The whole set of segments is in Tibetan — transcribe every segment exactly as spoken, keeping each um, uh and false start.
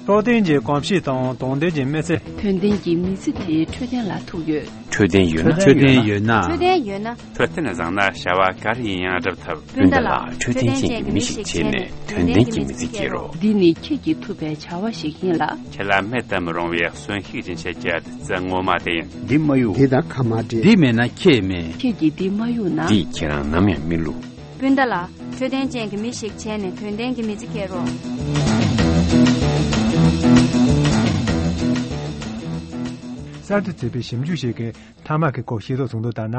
རྟོགས་ལྡན་གྱི་གོམས་གཤིས་དང་དོགས་ལྡན་གྱི་མི་ཚེ། དོན་ལྡན་གྱི་མི་ཚེ་དེ་འཕྲོད་བསྟེན་ལ་ཐུག་ཡོད། འཕྲོད་བསྟེན་ཡོད་ན། འཕྲོད་བསྟེན་ཡོད་ན། འཕྲོད་བསྟེན་ཡོད་ན། འཕྲོད་བསྟེན་བཟང་ན་བྱ་བ་ག་རེ་ཡིན་ཡང་སྒྲུབ་ཐུབ། སྤུན་ཟླ་ལགས། འཕྲོད་བསྟེན་ཅན་གྱི་མི་ཞིག་བྱས་ནས་དོན་ལྡན་གྱི་མི་ཚེ་སྐྱེལ་རོགས། འདི་ནི་ཁྱེད་ཀྱིས་ཐུབ་པའི་བྱ་བ་ཞིག་ཡིན་ལ། ཁྱེད་ལ་མེད་དུ་མི་རུང་བའི་གསོན་ཤུགས་ཀྱི་འཆར་གཞི་ཨ་ཙི་ངོ་མ་དེ་ཡིན། འདི་མ་གཡུག་འདི་དང་ཁ་མ་འབྲལ། འདི་མེད་ན་ཁྱེད་མེད། ཁྱེད་ཀྱིས་འདི་མ་གཡུག་ན། འདིས་ཁྱེད་རང་ནམ་ཡང་མི་བསླུ། སྤུན་ཟླ་ལགས། འཕྲོད་བསྟེན་ཅན་གྱི་མི་ཞིག་བྱས་ནས་དོན་ལྡན་གྱི་མི་ཚེ་སྐྱེལ་རོགས། གསར་དུ་བཙུགས་པའི་ཞིབ་འཇུག་ཞིག་གིས་ཐ་མག་གི་སྐོར་ཤེས་རྟོགས་བྱུང་དོན་ལྟར་ན།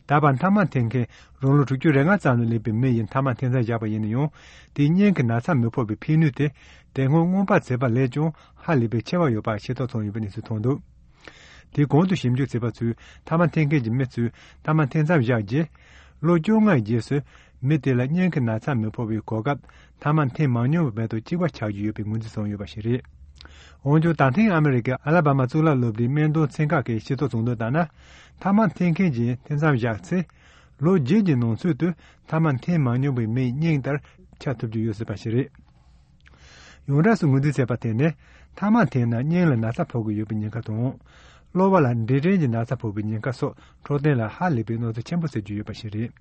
ད་བར་ཐ་མག་འཐེན་མཁན་རང་ལོ་དྲུག་ཅུ་རེ་ལྔ་ཙམ་ལ་སླེབས་པའི་མི་ཡིས་ཐ་མག་འཐེན་མཚམས་བཞག་པ་ཡིན་ན་ཡང་། དེའི་སྙིང་གི་ན་ཚ་མི་ཕོག་པའི་ཕན་ནུས་དེ་དེ་སྔོན་སྔོན་དཔག་བྱས་པ་ལས་ཀྱང་ཧ་ལས་པའི་ཆེ་བ་ཡོད་པ་ཤེས་རྟོགས་བྱུང་ཡོད་པའི་གནས་ཚུལ་ཐོན་འདུག་དེའི་གོང་དུ་ཞིབ་འཇུག་བྱས་པ་ཚོས་ཐ་མག་འཐེན་མཁན་གྱི་མི་ཚོས་ཐ་མག་འཐེན་མཚམས་བཞག་རྗེས། ལོ་བཅོ་ལྔའི་རྗེས་སུ་མི་དེ་ལ་སྙིང་གི་ན་ཚ་མི་ཕོག་པའི་གོ་སྐབས་ཐ་མག་འཐེན་མ་མྱོང་བའི་མི་དང་གཅིག་པ་ཆགས་ཀྱི་ཡོད་པའི་ངོས་འཛིན་བྱུང་ཡོད་པ་ཞིག་རེད། འོན་ཀྱང་ད་ཐེངས་ཨ་མི་རི་ཀའི་ཨ་ལ་བྷ་མ་གཙུག་ལག་སློབ་གྲྭའི་སྨན་དོན་ཚན་ཁག་གིས་ཤེས་རྟོགས་བྱུང་དོན་ལྟར་ན། ཐ་མག་འཐེན་མཁན་གྱིས་འཐེན་མཚམས་བཞག་ཚེ། ལོ་བརྒྱད་ཀྱི་ནང་ཚུད་དུ་ཐ་མག་འཐེན་མ་མྱོང་བའི་མིའི་སྙིང་ལྟར་ཆགས་ཐུབ་ཀྱི་ཡོད་སྲིད་པ་ཞིག་རེད། ཡོངས་གྲགས་སུ་ངོས་འཛིན་བྱས་པ་དེ་ནི། ཐ་མག་འཐེན་ན་སྙིང་ལ་ན་ཚ་ཕོག་གི་ཡོད་པའི་ཉེན་ཁ་དང་། གློ་བ་ལ་འབྲས་སྐྲན་གྱི་ན་ཚ་ཕོག་པའི་ཉེན་ཁ་སོགས་འཕྲོད་བསྟེན་ལ་ཧ་ལས་པའི་གནོད་འཚེ་ཆེན་པོ་བཟོ་གི་ཡོད་པ་ཞིག་རེད།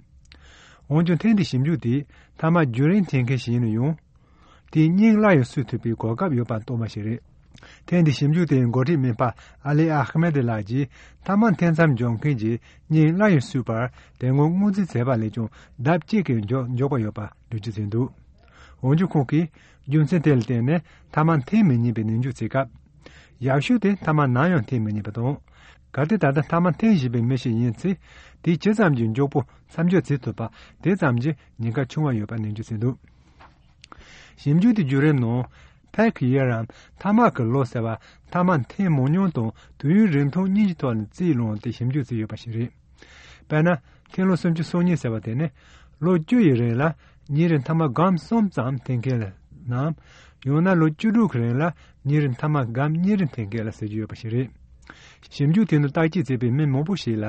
འོན་ཀྱང་ཐེངས་འདིའི་ཞིབ་འཇུག་དེས་ཐ་མག་རྒྱུན་རིང་འཐེན་མཁན་ཞིག་ཡིན་ན་ཡང་། དེའི་སྙིང་སླར་ཡང་གསོ་ཐུབ་པའི་གོ་སྐབས་ཡོད་པ་སྟོན་པ་ཞིག་རེད། ཐེངས་འདིའི་ཞིབ་འཇུག་དེའི་འགོ་ཁྲིད་སྨན་པ་ཨ་ལི་ཨ་ཧ་མེད་ལགས་ཀྱིས་ཐ་མག་འཐེན་མཚམས་འཇོག་མཁན་གྱི་སྙིང་སླར་ཡང་གསོས་པར་དེ་སྔོན་སྔོན་རྩིས་བྱས་པ་ལས་ཀྱང་ལྡབ་གཅིག་གིས་མགྱོགས་མགྱོགས་པ་ཡོད་པ་འགྲེལ་བརྗོད་བྱས་འདུག་འོན་ཀྱང་ཁོང་གིས་རྒྱུ་མཚན་དེ་ལ་བརྟེན་ནས་ཐ་མག་འཐེན་མི་ཉན་པའི་ནན་བརྗོད་བྱེད་སྐབས། ཡག་ཤོས་དེ་ཐ་མག་ནམ་ཡང་འཐེན་མི་ཉན་པ་དང་། གལ་ཏེ་ད་ལྟ་ཐ་མག་འཐེན་བཞིན་པའི་མི་ཞིག་ཡིན་ཚེ། དེས་ཇི་ཙམ་གྱིས་མགྱོགས་པོ་མཚམས་འཇོག་བྱེད་ཐུབ་པ་དེ་ཙམ་གྱིས་ཉེན་ཁ་ཆུང་བ་ཡོད་པ་ནན་བརྗོད་བྱས་འདུག་ཞིབ་འཇུག་དེའི་བརྒྱུད་རིམ་ནང་། ཕེག་ཡེ་རམ་ཐ་མག་གི་ལོ་ཟེར་བ་ཐ་མག་འཐེན་མང་ཉུང་དང་དུས་ཡུན་རིང་ཐུང་གཉིས་ཀྱི་ཐོག་ནས་རྩིས་བླངས་ཏེ་ཞིབ་འཇུག་བྱས་ཡོད་པ་ཞིག་རེད། དཔེར་ན། འཐེན་ལོ་སུམ་ཅུ་སོ་གཉིས་ཟེར་བ་དེ་ནི། ལོ་བཅུ་ཡི་རིང་ལ་ཉིན་རེར་ཐ་མག་སྒམ་གསུམ་ཙམ་འཐེན་མཁན་ལ་ནམ། ཡང་ན་ལོ་བཅུ་དྲུག་གི་རིང་ལ་ཉིན་རེར་ཐ་མག་སྒམ་གཉིས་རེ་འཐེན་མཁན་ལ་ཟེར་གྱི་ཡོད་པ་ཞིག་རེད། ཞིབ་འཇུག་དེ་ནི་བརྟག་དཔྱད་བྱས་པའི་མི་མང་པོ་ཞིག་ལ་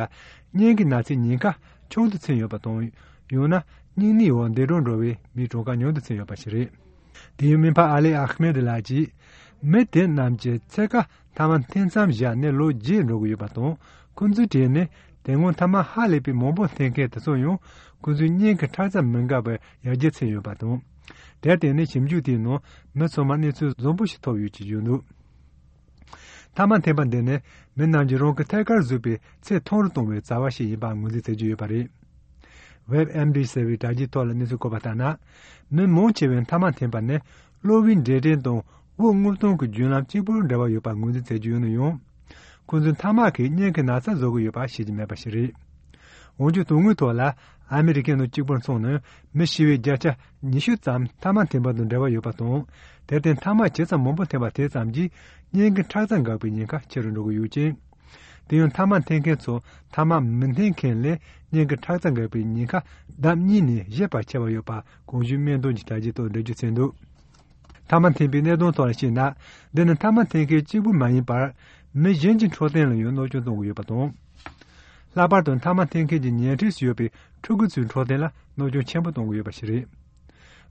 སྙིང་གི་ན་ཚའི་ཉེན་ཁ་ཆུང་དུ་ཕྱིན་ཡོད་པ་དང་། ཡང་ན་སྙིང་ནད་འོག་འདས་གྲོངས་འགྲོ་བའི་མིའི་གྲངས་ཀ་ཉུང་དུ་ཕྱིན་ཡོད་པ་ཞིག་རེད། དེ་ཡང་སྨན་པ་ཨ་ལེ་ཨ་ཧ་མེད་ལགས་ཀྱིས། མི་དེ་རྣམས་ཀྱི་ཚད་ཀ་ཐ་མག་འཐེན་མཚམས་བཞག་ནས་ལོ་བརྒྱད་འགྲོ་གི་ཡོད་པ་དང་། ཁོང་ཚོའི་གྲས་ནས་དེ་སྔོན་ཐ་མག་ཧ་ལས་པའི་མང་པོ་འཐེན་མཁན་དེ་ཚོ་ཡང་ཁོང་ཚོའི་སྙིང་གི་ཁྲག་རྩ་མི་འགག་པར་ཡར་རྒྱས་ཕྱིན་ཡོད་པ་དང་། དེར་བརྟེན་ནས་ཞིབ་འཇུག་དེའི་ནང་མི་ཚང་མར་གནས་ཚུལ་བཟང་པོ་ཞིག་ཐོབ་ཡོད་ཅེས་བརྗོད་འདུག་ཐ་མག་འཐེན་པ་འདི་ནི་མི་རྣམས་ཀྱིས་རང་གི་ཐད་ཀར་བཟོས་པའི་ཚེ་ཐུང་རུ་གཏོང་བའི་བྱ་བ་ཞིག་ཡིན་པ་ངོས་འཛིན་བྱེད་ཀྱི་ཡོད་པ་རེད། ཝེབ་ཨེམ་ཌི་ཟེར་བའི་དྲ་རྒྱའི་ཐོག་ལ་གནས་ཚུལ་བཀོད་པ་ལྟར་ན། མི་མང་ཆེ་བས་ཐ་མག་འཐེན་པ་ནི་གློ་བའི་འབྲས་སྐྲན་དང་དབུགས་རྔུབ་གཏོང་གི་བརྒྱུད་ལམ་གཅིག་པུར་འབྲེལ་བ་ཡོད་པ་ངོས་འཛིན་བྱེད་ཀྱི་ཡོད་ན་ཡང་། ཁོང་ཚོས་ཐ་མག་གིས་སྙིང་གི་ན་ཚ་བཟོ་གི་ཡོད་པ་ཤེས་ཀྱི་མེད་པ་ཞིག་རེད། འོན་ཀྱང་དོན་དངོས་ཐོག་ལ་ཨ་མི་རི་ཀའི་ནང་གཅིག་པུར་མཚོན་ན་མི་ཤི་བའི་བརྒྱ་ཆ་ཉི་ཤུ་ཙམ་ཐ་མག་འཐེན་པ་དང་འབྲེལ་བ་ཡོད་པ་དང་། དེར་བརྟེན་ཐ་མག་ཇི་ཙམ་མང་པོ་འཐེན་པ་དེ་ཙམ་གྱིས་སྙིང་གི་ཁྲག་རྩ་འགག་པའི་ཉེན་ཁ་ཆེ་རུ་འགྲོ་གི་ཡོད་ཅིང་། དེ་ཡང་ཐ་མག་འཐེན་མཁན་ཚོ་ཐ་མག་མི་འཐེན་མཁན་ལས་སྙིང་གི་ཁྲག་རྩ་འགག་པའི་ཉེན་ཁ་ལྡབ་གཉིས་ནས་བཞི་བར་ཆེ་བ་ཡོད་པ་གོང་ཞུས་སྨན་དོན་གྱི་དྲ་རྒྱའི་ཐོག་འགྲེལ་བརྗོད་བྱས་འདུག་ཐ་མག་འཐེན་པའི་གནད་དོན་ཐོག་ལ་བཤད་ན། འདི་ནི་ཐ་མག་འཐེན་མཁན་གཅིག་པུ་མ་ཡིན་པར། མི་གཞན་གྱི་འཕྲོད་བསྟེན་ལ་ཡང་གནོད་སྐྱོན་གཏོང་གི་ཡོད་པ་དང་། ལྷག་པར་དུ་ཐ་མག་འཐེན་མཁན་གྱི་ཉེ་འཁྲིས་སུ་ཡོད་པའི་ཕྲུ་གུ་ཚོའི་འཕྲོད་བསྟེན་ལ་གནོད་སྐྱོན་ཆེན་པོ་གཏོང་གི་ཡོད་པ་ཞིག་རེད།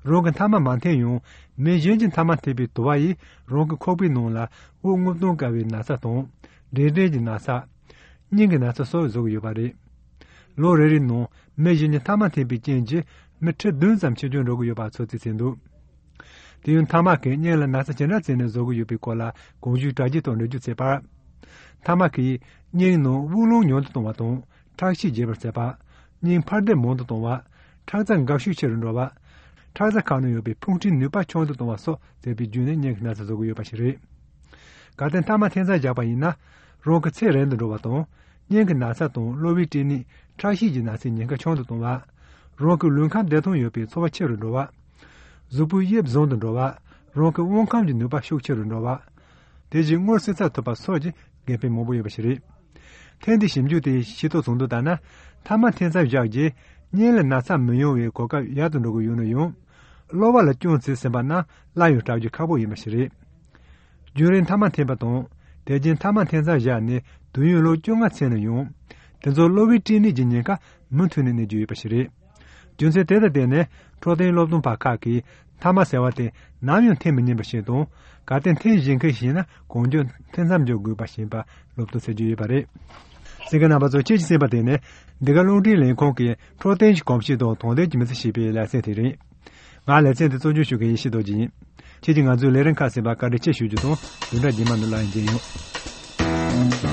རང་གིས་ཐ་མག་མ་འཐེན་ཡང་། མི་གཞན་གྱིས་ཐ་མག་འཐེན་པའི་དུ་བ་ཡིས་རང་གི་ཁོག་པའི་ནང་ལ་དབུགས་རྔུབ་གཏོང་དཀའ་བའི་ན་ཚ་དང་། འབྲས་སྐྲན་གྱི་ན་ཚ། སྙིང་གི་ན་ཚ་སོགས་བཟོ་གི་ཡོད་པ་རེད། ལོ་རེ་རེའི་ནང་མི་གཞན་གྱིས་ཐ་མག་འཐེན་པའི་རྐྱེན་གྱིས་མི་ཁྲི་བདུན་ཙམ་འཆི་སྐྱོན་འགྲོ་གི་ཡོད་པ་ཚོད་རྩིས་བྱས་འདུག་དེ་ཡང་ཐ་མག་གིས་སྙིང་ལ་ན་ཚ་ཇི་འདྲ་བྱས་ནས་བཟོ་གི་ཡོད་པའི་སྐོར་ལ་གོང་ཞུས་དྲ་རྒྱའི་ཐོག་འགྲེལ་བརྗོད་བྱས་པར། ཐ་མག་གིས་སྙིང་ནང་དབུགས་རླུང་ཉུང་དུ་གཏོང་བ་དང་། ཁྲག་ཤེད་རྒྱས་པར་བྱེད་པ། སྙིང་འཕར་ལྡིང་མང་དུ་གཏོང་བ། ཁྲག་རྩ་འགག་ཤུགས་ཆེ་རུ་འགྲོ་བ། ཁྲག་རྩ་ཁག་ནང་ཡོད་པའི་ཕུང་ཁྲིའི་ནུས་པ་ཆུང་དུ་གཏོང་བ་སོགས་བྱས་པའི་བརྒྱུད་ནས་སྙིང་གི་ན་ཚ་བཟོ་གི་ཡོད་པ་ཞིག་རེད། གལ་ཏེ་ཐ་མག་འཐེན་མཚམས་བཞག་པ་ཡིན་ན། རང་གི་ཚེ་རིང་དུ་འགྲོ་བ་དང་། སྙིང་གི་ན་ཚ་དང་གློ་བའི་སྐྲན་ནད། ཁྲག་ཤེད་ཀྱི་ན་ཚའི་ཉེན་ཁ་ཆུང་དུ་གཏོང་བ། རང་གི་ལུས་ཁམས་བདེ་ཐང་ཡོད་པའི་ཚོར་བ་ཆེ་རུ་འགྲོ་བ། གཟུགས་པོའི་དབྱིབས་བཟང་དུ་འགྲོ་བ། རང་གི་དབང་ཁམས་ཀྱི་ནུས་པ་ཤུགས་ཆེ་རུ་འགྲོ་བ། དེ་བཞིན་སྔོ་སེར་ཚ་ཐུབ་པ་སོགས་ཀྱི་དགེ་ཕན་མང་པོ་ཡོད་པ་ཞིག་རེད། ཐེངས་འདིའི་ཞིབ་འཇུག་དེས་ཤེས་རྟོགས་བྱུང་དོན་ལྟར་ན། ཐ་མག་འཐེན་མཚམས་བཞག་རྗེས་སྙིང་ལ་ན་ཚ་མི་ཡོང་བའི་གོ་སྐབས་ཡག་ཏུ་འགྲོ་གི་ཡོད་ན་ཡང་། གློ་བ་ལ་སྐྱོན་བྱས་ཟིན་པ་རྣམས་སླར་ཡང་དྲག་རྒྱུ་ཁག་པོ་ཡིན་པ་ཞིག་རེད། རྒྱུན་རིང་ཐ་མག་འཐེན་པ་དང་། དེ་རྗེས་ཐ་མག་འཐེན་མཚམས་བཞག་ནས་དུས་ཡུན་ལོ་བཅོ་ལྔ་ཕྱིན་ན་ཡང་། དེ་ཚོར་གློ་བའི་སྐྲན་ནད་ཀྱི་ཉེན་ཁ་མུ་མཐུད་ནས་གནས་ཀྱི་ཡོད་པ་ཞིག་རེད། རྒྱུ་མཚན་དེ་དང་བརྟེན་ནས་འཕྲོད་བསྟེན་སློབ་སྟོན་པ་ཁག་གིས་ མཐའ་མ་ཟེར་བ་དེ་ནམ་ཡང་འཐེན་མི་ཉན་པ་ཞིག་དང་། གལ་ཏེ་འཐེན་བཞིན་མཁན་ཞིག་ཡིན་ན་གང་མགྱོགས་འཐེན་མཚམས་འཇོག་དགོས་པ་ཞིག་ཡིན་པ་སློབ་སྟོན་ཟེར་རྒྱུ་ཡོད་པ་རེད། གསན་མཁན་རྣམ་པ་ཚོ། ཁྱེད་ཀྱིས་གསན་པ་དེ་ནི་འདི་ག་རླུང་འཕྲིན་ལས་ཁང་གི་འཕྲོད་བསྟེན་གྱི་གོམས་གཤིས་དང་དོ་དམ་གྱི་མི་ཚེ་ཞེས་པའི་ལེ་ཚན་དེ་རེད། ང་ལེ་ཚན་དེ་གཙོ་སྐྱོང་ཞུ་མཁན་ཡེ་ཤེས་རྡོ་རྗེ་ཡིན། ཁྱེད་ཀྱིས་ང་ཚོའི་ལས་རིམ་ཁག་གསན་པར་བཀའ་དྲིན་ཆེ་ཞུ་རྒྱུ་དང་། བདུན་ཕྲག་རྗེས་མ་ནས་སླར་ཡང་མཇལ་ཡོང་།